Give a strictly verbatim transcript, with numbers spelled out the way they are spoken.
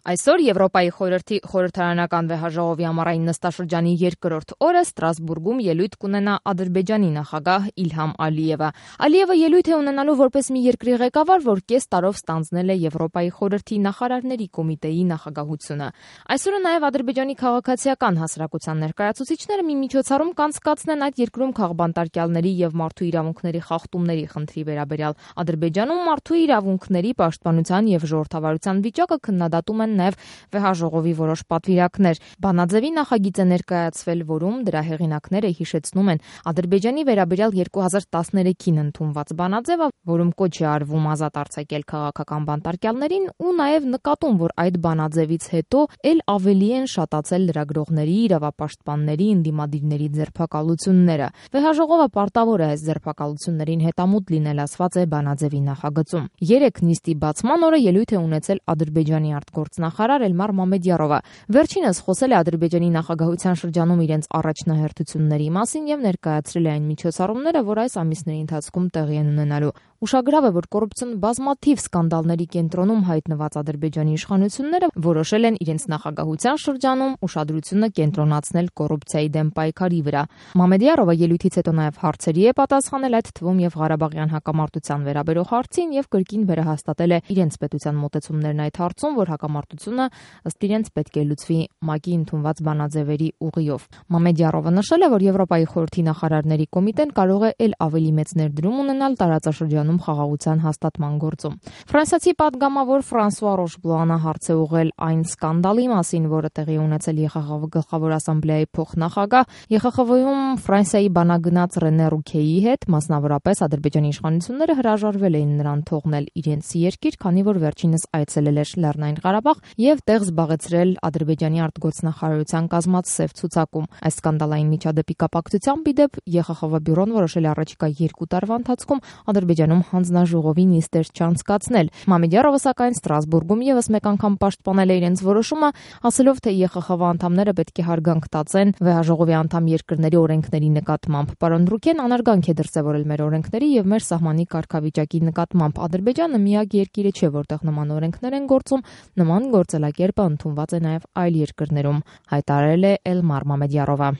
Այսօր Եվրոպայի խորհրդի խորհրդարանական վեհաժողովի ամառային նստաշրջանի երկրորդ օրը Ստրասբուրգում ելույթ կունենա Ադրբեջանի նախագահ Իլհամ Ալիևը։ Ալիևը ելույթ է ունենալու որպես մի երկրի ղեկավար, որ կես տարով ստանձնել է Եվրոպայի խորհրդի նախարարների կոմիտեի նախագահությունը։ Այսօրը նաև Ադրբեջանի քաղաքացիական հասարակության ներկայացուցիչները մի միջոցառում կանցկացնեն այդ երկրում քաղբանտարկյալների եւ մարդու իրավունքների խախտումների խնդրի վերաբերյալ։ Ադրբեջանում մարդու իրավունքների պաշտպանության եւ ժողովրդավարության վիճակը քննադատում են նաև վեհաժողովի որոշ պատվիրակներ։ Բանաձևի նախագիծ է ներկայացվել, որում դրա հեղինակները հիշեցնում են Ադրբեջանի վերաբերյալ երկու հազար տասներեքին ընդունված բանաձևը, որում կոչ է արվում ազատ արձակել քաղաքական բանտարկյալներին ու նաև նկատում, որ այդ բանաձևից հետո ել ավելի են շատացել լրագրողների, իրավապաշտպանների, ընդդիմադիրների ձերբակալությունները։ Վեհաժողովը պարտավոր է այս ձերբակալություններին հետամուտ լինել, ասված է բանաձևի նախագծում։ Երեք նիստի բացման օրը ելույթ է ունեցել Ադրբեջանի արտգործնախարար Էլմար Մամեդյարովը։ Վերջինս խոսել է Ադրբեջանի նախագահության շրջանում իրենց առաջնահերթությունների մասին եւ ներկայացրել է այն միջոցառումները, որ այս ամիսների ընթացքում տեղի են ունենալու։ Ուշագրավ է, որ կոռուպցիոն բազմաթիվ սկանդալների կենտրոնում հայտնված Ադրբեջանի իշխանությունները որոշել են իրենց նախագահության շրջանում ուշադրությունը կենտրոնացնել կոռուպցիայի դեմ պայքարի վրա։ Մամեդյարովը ելույթից հետո նաև հարցերի է պատասխանել, այդ թվում եւ Ղարաբաղյան հակամարտության վերաբերող հարցին եւ կրկին վերահաստատել է իրենց պետության մոտեցումներն այդ հարցում, որ հակամարտությունը ըստ իրենց պետք է լուծվի ՄԱԿ-ի ընդունված բանաձևերի ուղիով։ Մամեդյարովը նշել է, որ Եվրոպայի խորհրդի նախարարների կոմիտեն կարող է ել ավելի մեծ ներդրում ունենալ տարածաշրջանում խաղաղության հաստատման գործում։ Ֆրանսիացի պատգամավոր Ֆրանսուଆ Ռոշբլանը հարց է ուղղել այն սկանդալի մասին, որը տեղի ունեցել Է Խ Խ V գլխավոր ասամբլեայի փոխնախագահ Է Խ Խ V-ում Ֆրանսիայի բանագնաց Ռենե Ռուքեի հետ, մասնավորապես Ադրբեջանի իշխանությունները հրաժարվել էին նրան թողնել իրենց երկիր, քանի որ վերջինս այցելել էր Լեռնային Ղարաբաղ եւ տեղ զբաղեցրել Ադրբեջանի արտգործնախարարության կազմած սև ցուցակում։ Այս սկանդալային միջադեպի կապակցությամբ ի դեպ Է Խ Խ V բյուրոն որոշել է առաջիկա երկու տարվա ընթացքում Ադրբեջանում հանձնաժողովի նիստեր չանցկացնել։ Մամեդյարովը սակայն Ստրասբուրգում եւս մեկ անգամ պաշտպանել է իրենց որոշումը, ասելով, թե Է Խ Խ V անդամները պետք է հարգանք տածեն վեհաժողովի անդամ երկրների օրենքների նկատմամբ։ Պարոն Ռուքեն անարգանք է դրսևորել մեր օրենքների եւ մեր սահմանի կարգավիճակի նկատմամբ։ Ադրբեջանը միակ երկիրը չէ, որտեղ նման օրենքներ են գործում, նման գործելակերպը ընդունված է նաև այլ երկրներում, հայտարարել է Էլմար Մամեդյարովը։